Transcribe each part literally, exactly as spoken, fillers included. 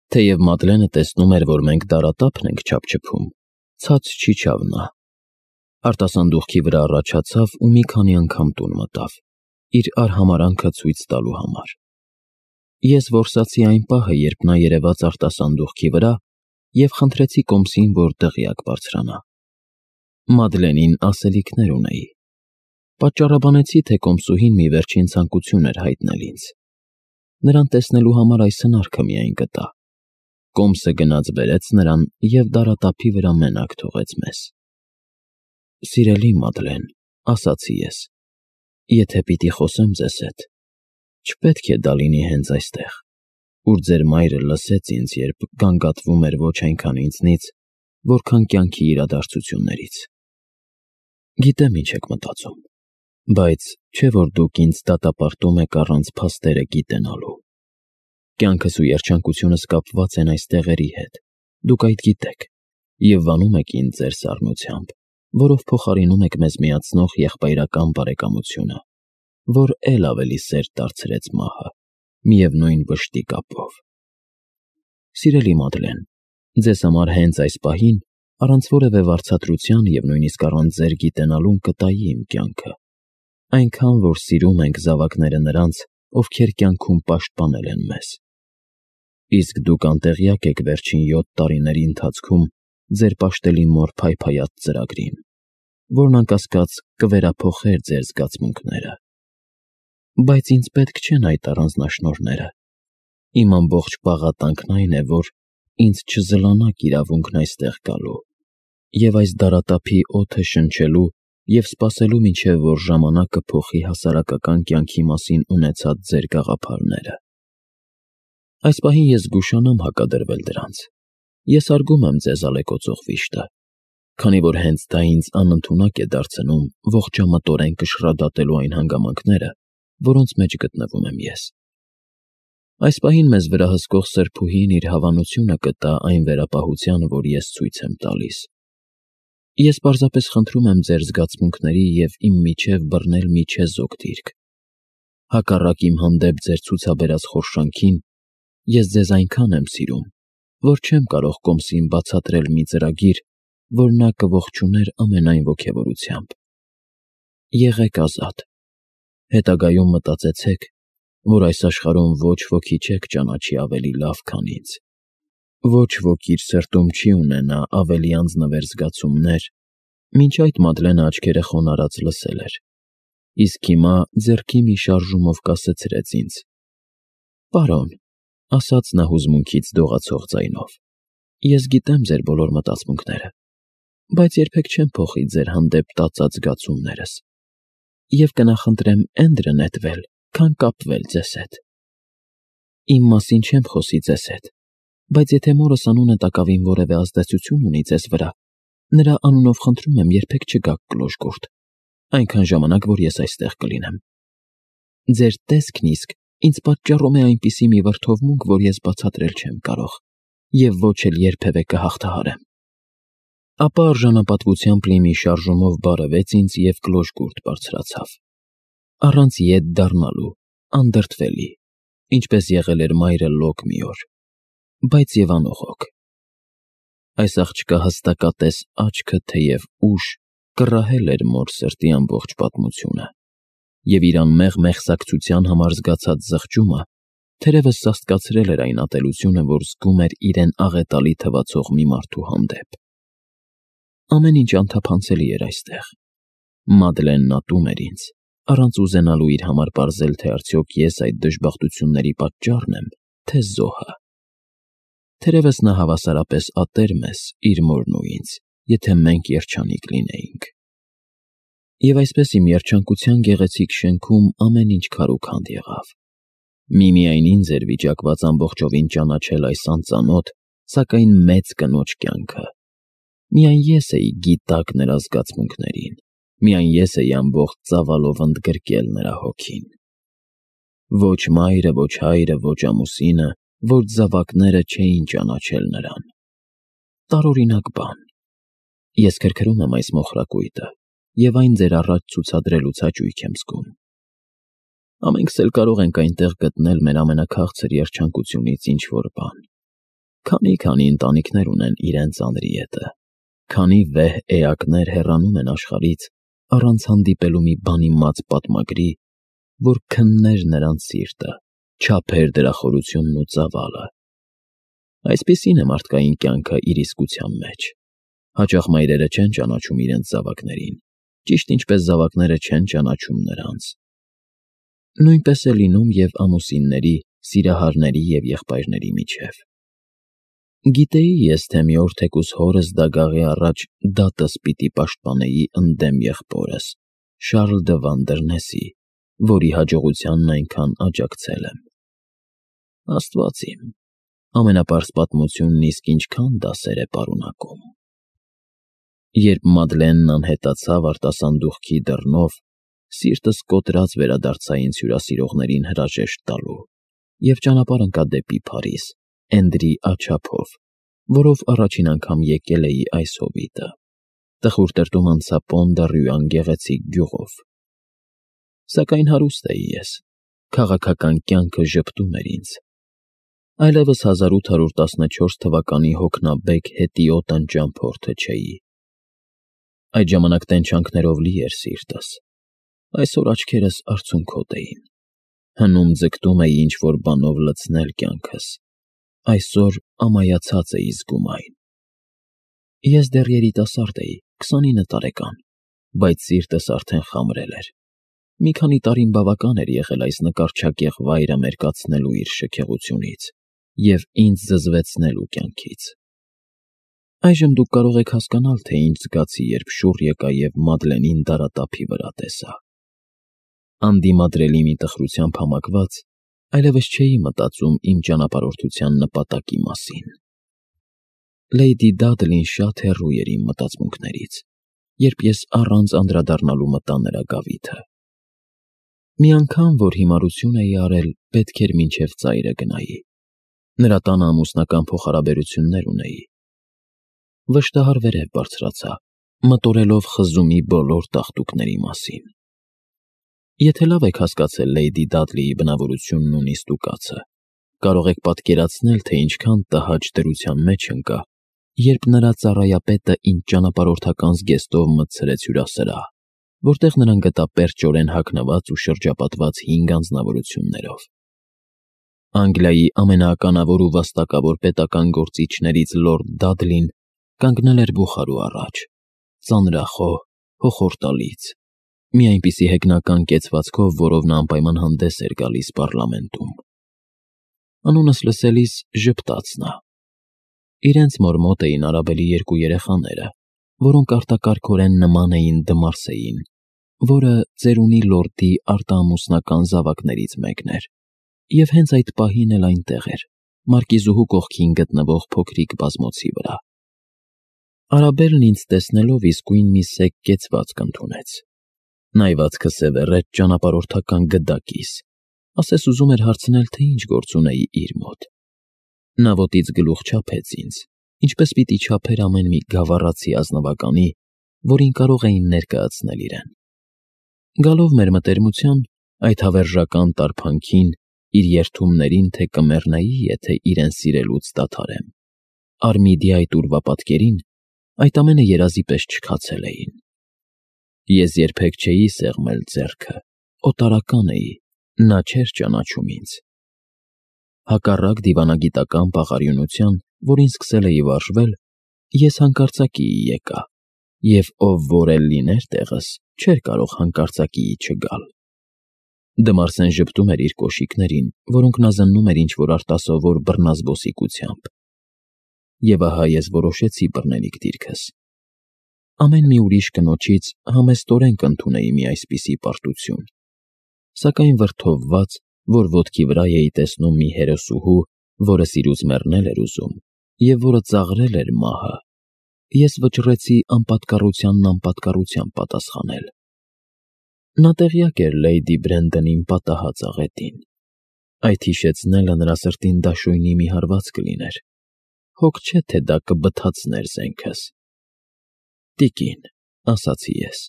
Թեև Մադլենը տեսնում էր, որ մենք դարատափն ենք չափչփում, ցած չիջավ նա։ Արտասանդուղքի վրա առաջացավ ու մի քանի անգամ տուն մտավ, իր արհամարանքը ցույց տալու համար։ Ես որսացի այն պահը, երբ նա երևաց արտասանդուղքի վրա և խնդրեցի Կոմսին, որ դղյակ բարձրանա։ Մադլենին ասելիքներ ունեի։ Պատճառաբանեցի, թե Կոմսուհին մի վերջին ցանկություն էր հայտնել ինձ։ Նրան տեսնելու համար այս հնարքը միայն գտա։ Կոմսը գնաց բերեց նրան և դարատափի վրա մենակ թողեց մեզ։ Սիրելի Մադլեն, ասացի ես, եթե պիտի խոսեմ ձեզ հետ, չպետք է դա լինի հենց այստեղ, ուր ձեր մայրը լսեց ինձ, երբ գանգատվում էր ոչ այնքան ինձնից, որքան կյանքի իրադարձություններից։ Գիտեմ ինչ եք մտածում, բայց չէ՞ որ դուք ինձ դատապարտում եք առանց փաստերը գիտենալու։ Կյանքս ու երջանկությունս կապված են այս տեղերի հետ, դուք այդ գիտեք, և վանում եք ինձ ձեր սառնությամբ, որով փոխարինում եք մեզ միացնող եղբայրական բարեկամությունը, որ էլ ավելի սերտ դարձրեց մահը, միևնույն վշտի կապով։ Սիրելի Մադլեն, ձեզ համար հենց այս պահին, առանց որևէ վարձատրության և նույնիսկ առանց ձեր գիտենալուն կտայի իմ կյանքը, այնքան, որ սիրում ենք զավակները նրանց, ովքեր կյանքում պաշտպանել են մեզ։ Իսկ դուք անտեղյակ եք վերջին յոթ տարիների ընթացքում ձեր պաշտելի մոր փայփայած ծրագրին, որն անկասկած կվերափոխեր ձեր զգացմունքները։ Բայց ինձ պետք չեն այդ առանձնաշնորհները։ Իմ ամբողջ պաղատանքն այն է, որ ինձ չզլանաք իրավունքն այստեղ գալու և այս դարատափի օդը շնչելու և սպասելու, մինչև որ ժամանակը փոխի հասարակական կյանքի մասին ունեցած ձեր գաղափարները։ Այս պահին ես զգուշանամ հակադրվել դրանց։ Ես հարգում եմ ձեզ ալեկոծող վիշտը, քանի որ հենց դա ինձ անընդունակ է դարձնում ողջամտորեն կշռադատելու այն հանգամանքները, որոնց մեջ գտնվում եմ ես։ Այս պահին մեզ վրա հսկող սրբուհին իր հավանությունը կտա այն վերապահությանը, որ ես ցույց եմ տալիս։ Ես պարզապես խնդրում եմ ձեր զգացմունքների և իմ միջև բռնել մի չեզոք դիրք։ Հակառակ իմ հանդեպ ձեր ցուցաբերած խորշանքին, ես ձեզ այնքան եմ սիրում, որ չեմ կարող Կոմսին բացատրել մի ծրագիր, որ նա կողջուներ ամենայն ոգևորությամբ։ Եղեք ազատ։ Հետագայում մտածեցեք, որ այս աշխարհում ոչ ոքի չեք ճանաչի ավելի լավ, քան ինձ։ Ոչ ոք իր սրտում չի ունենա ավելի անձնվեր զգացումներ, մինչ այդ Մադլենը աչքերը խոնարհած լսել էր, իսկ հիմա ձեռքի մի շարժումով կասեցրեց ինձ. «Պարոն», ասաց նա հուզմունքից դողացող ձայնով, «ես գիտեմ ձեր բոլոր մտածմունքները, բայց երբեք չեմ փոխի ձեր հանդեպ տածած զգացումներս և կնախընտրեմ էնդրը նետվել, քան կապվել ձեզ հետ։ Իմ մասին չեմ խոսի ձեզ հետ, բայց եթե մորս անունը տակավին որևէ ազդեցություն ունի ձեզ վրա, նրա անունով խնդրում եմ երբեք չգաք Կլոժկուրտ, այնքան ժամանակ, որ ես այստեղ կլինեմ։ Ձեր տեսքն իսկ ինձ պատճառում է այնպիսի մի վրդովմունք, որ ես բացատրել չեմ կարող և ոչ էլ երբևէ կհաղթահարեմ»։ Ապա արժանապատվությամբ լի մի շարժումով բարևեց ինձ և Կլոժկուրտ բարձրացավ, առանց ետ դառնալու, անդրդվելի, ինչպես եղել էր մայրը Լոկ մի օր, բայց և անողոք։ Այս աղջկա հստակատես աչքը, թեև ուշ, կռահել էր մոր սրտի ամբողջ պատմությունը, և իր անմեղ մեղսակցության համար զգացած զղջումը թերևս սաստկացրել էր այն ատելությունը, որ զգում էր իրեն աղետալի թվացող մի մարդու հանդեպ։ Ամեն ինչ անթափանցելի էր այստեղ։ Մադլենն ատում էր ինձ, առանց ուզենալու իր համար պարզել, թե արդյոք ես այդ դժբախտությունների պատճառն եմ, թե զոհը։ Թերևս նա հավասարապես ատեր մեզ, իր մորն ու ինձ, եթե մենք երջանիկ լինեինք։ Եվ այսպես իմ երջանկության գեղեցիկ շենքում ամեն ինչ քարուքանդ եղավ։ Միմիայն ինձ էր վիճակված ամբողջովին ճանաչել այս անծանոթ, սակայն մեծ կնոջ կյանքը։ Միայն ես էի գիտակ նրա զգացմունքներին, միայն ես էի ամբողջ ծավալով ընդգրկել նրա հոգին։ Ոչ մայրը, ոչ հայրը, ոչ ամուսինը, ոչ զավակները չէին ճանաչել նրան։ Տարօրինակ բան։ Ես քրքրում եմ այս մոխրակույտը և այն ձեր առաջ ցուցադրելուց հաճույք եմ զգում։ Ամենքս էլ կարող ենք այնտեղ գտնել մեր ամենաքաղցր երջանկությունից ինչ-որ բան։ Քանի-քանի ընտանիքներ ունեն իրենց անրի հետը, քանի վեհ էակներ հեռանում են աշխարհից առանց հանդիպելու մի բանի մած պատմագրի, որ քններ նրանց սիրտը, չափեր դրա խորությունն ու ծավալը։ Այսպիսին է մարդկային կյանքը իր իսկության մեջ։ Հաճախ մայրերը չեն ճանաչում իրենց զավակներին, ճիշտ ինչպես զավակները չեն ճանաչում նրանց։ Նույնպես է լինում և ամուսինների, սիրահարների և եղբայրների միջև։ Գիտեի ես, թե մի օր թեկուզ հորս դագաղի առաջ դատս պիտի պաշտպանեի ընդդեմ եղբորս, Շարլ դը Վանդերնեսի, որի հաջողությանն այնքան աջակցել եմ։ Աստված իմ, ամենապարզ պատմությունն իսկ ինչքան դասեր է պարունակում։ Երբ Մադլենն անհետացավ արտասանդուղքի դռնով, սիրտս կոտրած վերադարձա ինձ հյուրասիրողներին հրաժեշտ տալու և ճանապարհ ընկա դեպի Փարիզ, Էնդրի աջափով, որով առաջին անգամ եկել էի այս հովիտը։ Տխուր տրտում անցա Պոն-դ'Առյուան գեղեցիկ գյուղով։ Սակայն հարուստ էի ես, քաղաքական կյանքը ժպտում էր ինձ։ Այլևս հազար ութ հարյուր տասնչորս թվականի հոգնաբեկ հետիոտ անճամփորդը չէի։ Այդ ժամանակ տենչանքներով լի էր սիրտս, այսօր աչքերս արցունքոտ էին, հնում ձգտում էի ինչ-որ բանով լցնել կյանքս, այսօր ամայացած էի զգում այն։ Ես դեռ երիտասարդ էի, քսանինը տարեկան, բայց սիրտս արդեն խամրել էր։ Մի քանի տարին բավական էր եղել այս նկարչակեղ վայրը մերկացնելու իր շքեղությունից և ինձ զզվեցնելու կյանքից։ Այժմ դուք կարող եք հասկանալ, թե ինչ զգացի, երբ շուռ եկա և Մադլենին դարատափի վրա տեսա։ Անդիմադրելի մի տխրությամբ համակված, այլևս չէի մտածում իմ ճանապարհորդության նպատակի մասին։ Լեյդի Դադլին շատ հեռու էր իմ մտածմունքներից, երբ ես առանց անդրադառնալու մտա նրա գավիթը։ Մի անգամ, որ հիմարություն էի արել, պետք էր մինչև ծայրը գնայի։ Նրա տանը ամուսնական փոխհարաբերություններ ունեի։ Վշտահար վերև բարձրացա, մտորելով խզումի բոլոր տաղտուկների մասին։ Եթե լավ եք հասկացել Լեյդի Դադլիի բնավորությունն ու նիստուկացը, կարող եք պատկերացնել, թե ինչքան տհաճ դրության մեջ ընկա, երբ նրա ծառայապետը ինձ ճանապարհորդական զգեստով մտցրեց հյուրասրահ, որտեղ նրան գտա պերճորեն հագնված ու շրջապատված հինգ անձնավորություններով։ Անգլիայի ամենաականավոր ու վաստակավոր պետական գործիչներից լորդ Դադլին կանգնել էր բուխարու առաջ, ծանրախոհ, հոխորտալից, մի այնպիսի հեգնական կեցվածքով, որով նա անպայման հանդես էր գալիս պառլամենտում։ Անունս լսելիս ժպտաց նա։ Իրենց մոր մոտ էին Արաբելի երկու երեխաները, որոնք արտակարգորեն նման էին Դմարսեին, որը ծերունի լորդի արտաամուսնական զավակներից մեկն էր, և հենց այդ պահին էլ այնտեղ էր, մարկիզուհու կողքին գտնվող փոքրիկ բազմոցի վրա։ Արաբելն ինձ տեսնելով իսկույն մի սեկ կեցվածք ընդունեց։ Նայվածքը սևեռեց ճանապարհորդական գդակիս, ասես ուզում էր հարցնել, թե ինչ գործ ունեի իր մոտ։ Նա ոտից գլուխ չափեց ինձ, ինչպես պիտի չափեր ամեն մի գավառացի ազնվականի, որին կարող էին ներկայացնել իրեն։ Գալով մեր մտերմության, այդ հավերժական տարփանքին, իր երդումներին, թե կմեռնեի, եթե իրեն սիրելուց դադարեմ, Արմիդի այդ ուրվա պատկերին, այդ ամենը երազի պես չքացել էին։ Ես երբեք չէի սեղմել ձեռքը, օտարական էի, նա չէր ճանաչում ինձ։ Հակառակ դիվանագիտական պաղարյունության, որին սկսել էի վարժվել, ես հանկարծակիի եկա, և ով որ էլ լիներ տեղս, չէր կարող հանկարծակիի չգալ։ Դմարսեն ժպտում էր իր կոշիկներին, որոնք նա զննում էր ինչ-որ արտասովոր բռնազբոսիկությամբ։ Եվ ահա ես որոշեցի բռնելիք դիրքս։ Ամեն մի ուրիշ կնոջից համեստորեն կընդունեի մի այսպիսի պարտություն, սակայն վրդովված, որ ոտքի վրա էի տեսնում մի հերոսուհու, որը սիրուց մեռնել էր ուզում, և որը ծաղրել էր մահը, ես վճռեցի անպատկառությանն անպատկառությամբ պատասխանել։ Նա տեղյակ էր Լեյդի Բրենդոնին պատահած աղետին։ Այդ հիշեցնելը նրա սրտին դաշույնի մի հարված կլիներ։ Հոգ չէ, թե դա կբթացներ զենքս։ Տիկին, ասացի ես,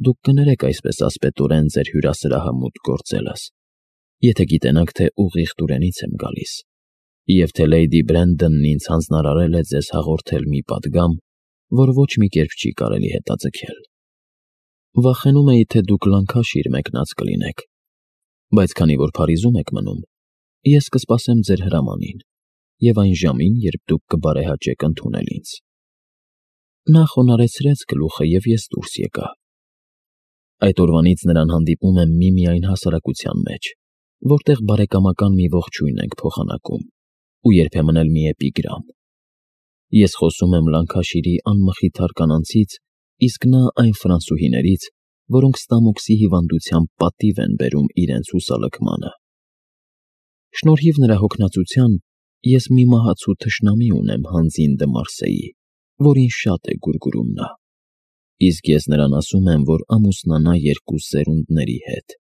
դուք կներեք այսպես ասպետորեն ձեր հյուրասրահը մուտք գործելս, եթե գիտենաք, թե ուղիղ Տուրենից եմ գալիս, Եվ թե Լեյդի Բրենդոնն ինձ հանձնարարել է ձեզ հաղորդել մի պատգամ, որ ոչ մի կերպ չի կարելի հետաձգել։ Վախենում էի, թե դուք լանքաշիր մեկնած կլինեք, բայց քանի որ Փարիզում եք մնում, ես կսպասեմ ձեր հրամանին և այն ժամին, երբ դուք կբարեհաճեք ընդունել ինձ։ Նա խոնարհեցրեց գլուխը, և ես դուրս եկա։ Այդ օրվանից նրան հանդիպում եմ միմիայն հասարակության մեջ, որտեղ բարեկամական մի ողջույն ենք փոխանակում, ու երբեմն էլ մի էպիգրամ։ Ես խոսում եմ Լանքաշիրի անմխիթար կանանցից, իսկ նա այն ֆրանսուհիներից, որոնք ստամոքսի հիվանդությամբ պատիվ են բերում իրենց հուսալքմանը։ Շնորհիվ նրա հոգնածության ես մի մահացու թշնամի ունեմ Հանձին դը Մարսեի, որին շատ է գուրգուրում նա, իսկ ես նրան ասում եմ, որ ամուսնանա երկու սերունդների հետ։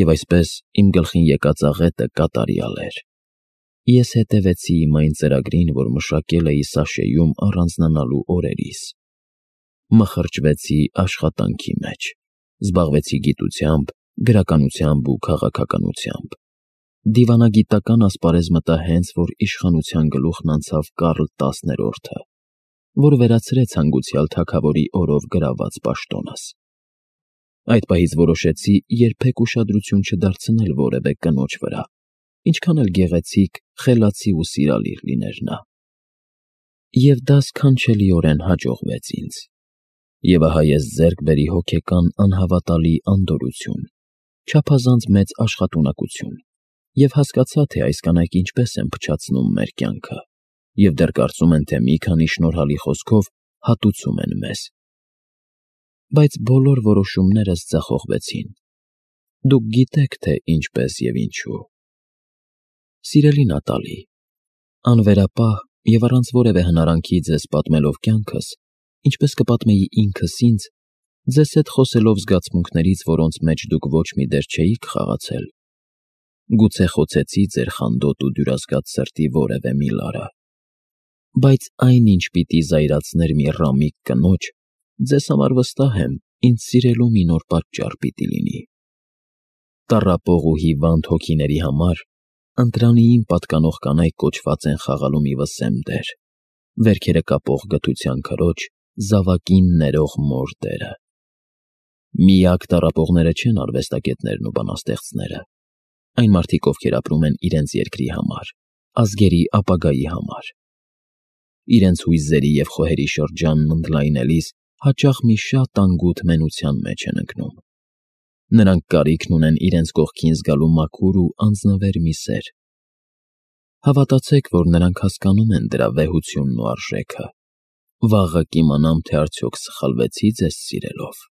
Եվ այսպես իմ գլխին եկած աղետը կատարյալ էր։ Ես հետևեցի իմ այն ծրագրին, որ մշակել էի Սաշեյում առանձնանալու օրերիս։ Մխրճվեցի աշխատանքի մեջ, զբաղվեցի գիտությամբ, գրականությամբ ու քաղաքականությամբ։ Դիվանագիտական ասպարեզ մտա հենց, որ իշխանության գլուխն անցավ Կարլ տասներորդը, որ վերացրեց հանգուցյալ թագավորի օրով գրաված պաշտոնս։ Այդ պահից որոշեցի երբեք ուշադրություն չդարձնել որևէ կնոջ վրա, ինչքան էլ գեղեցիկ, խելացի ու սիրալիր լիներ նա։ Եվ դա սքանչելիորեն հաջողվեց ինձ։ Եվ ահա ես ձեռք բերի հոգեկան անհավատալի անդորրություն, չափազանց մեծ աշխատունակություն, և հասկացա, թե այս կանայք ինչպես են փչացնում մեր կյանքը, և դեռ կարծում են, թե մի քանի շնորհալի խոսքով հատուցում են մեզ։ Բայց բոլոր որոշումներս ձախողվեցին։ Դուք գիտեք, թե ինչպես և ինչու։ Սիրելի Նատալի, անվերապահ և առանց որևէ հնարանքի ձեզ պատմելով կյանքս, ինչպես կպատմեի ինքս ինձ, ձեզ հետ խոսելով զգացմունքներից, որոնց մեջ դուք ոչ մի դեր չէիք խաղացել, գուցե խոցեցի ձեր խանդոտ ու դյուրազգաց սրտի որևէ մի լարը, բայց այն, ինչ պիտի զայրացներ մի ռամիկ կնոջ, ձեզ համար վստահ եմ, ինձ սիրելու մի նոր պատճառ պիտի լինի։ Տառապող ու հիվանդ հոգիների համար ընտրանիին պատկանող կանայք կոչված են խաղալու մի վսեմ դեր, վերքերը կապող գթության քրոջ, զավակին ներող մոր դերը։ Միակ տառապողները չեն արվեստագետներն ու բանաստեղծները, այն մարդիկ, ովքեր ապրում են իրենց երկրի համար, ազգերի ապագայի համար։ Իրենց հույզերի և խոհերի շրջանն ընդլայնելիս հաճախ մի շատ անգութ մենության մեջ են ընկնում։ Նրանք կարիքն ունեն իրենց կողքին զգալու մաքուր ու անձնվեր մի սեր։ Հավատացեք, որ նրանք հասկանում են դրա վեհությունն ու արժեքը։ Վաղը կիմանամ, թե արդյոք սխալվեցի ձեզ սիրելով։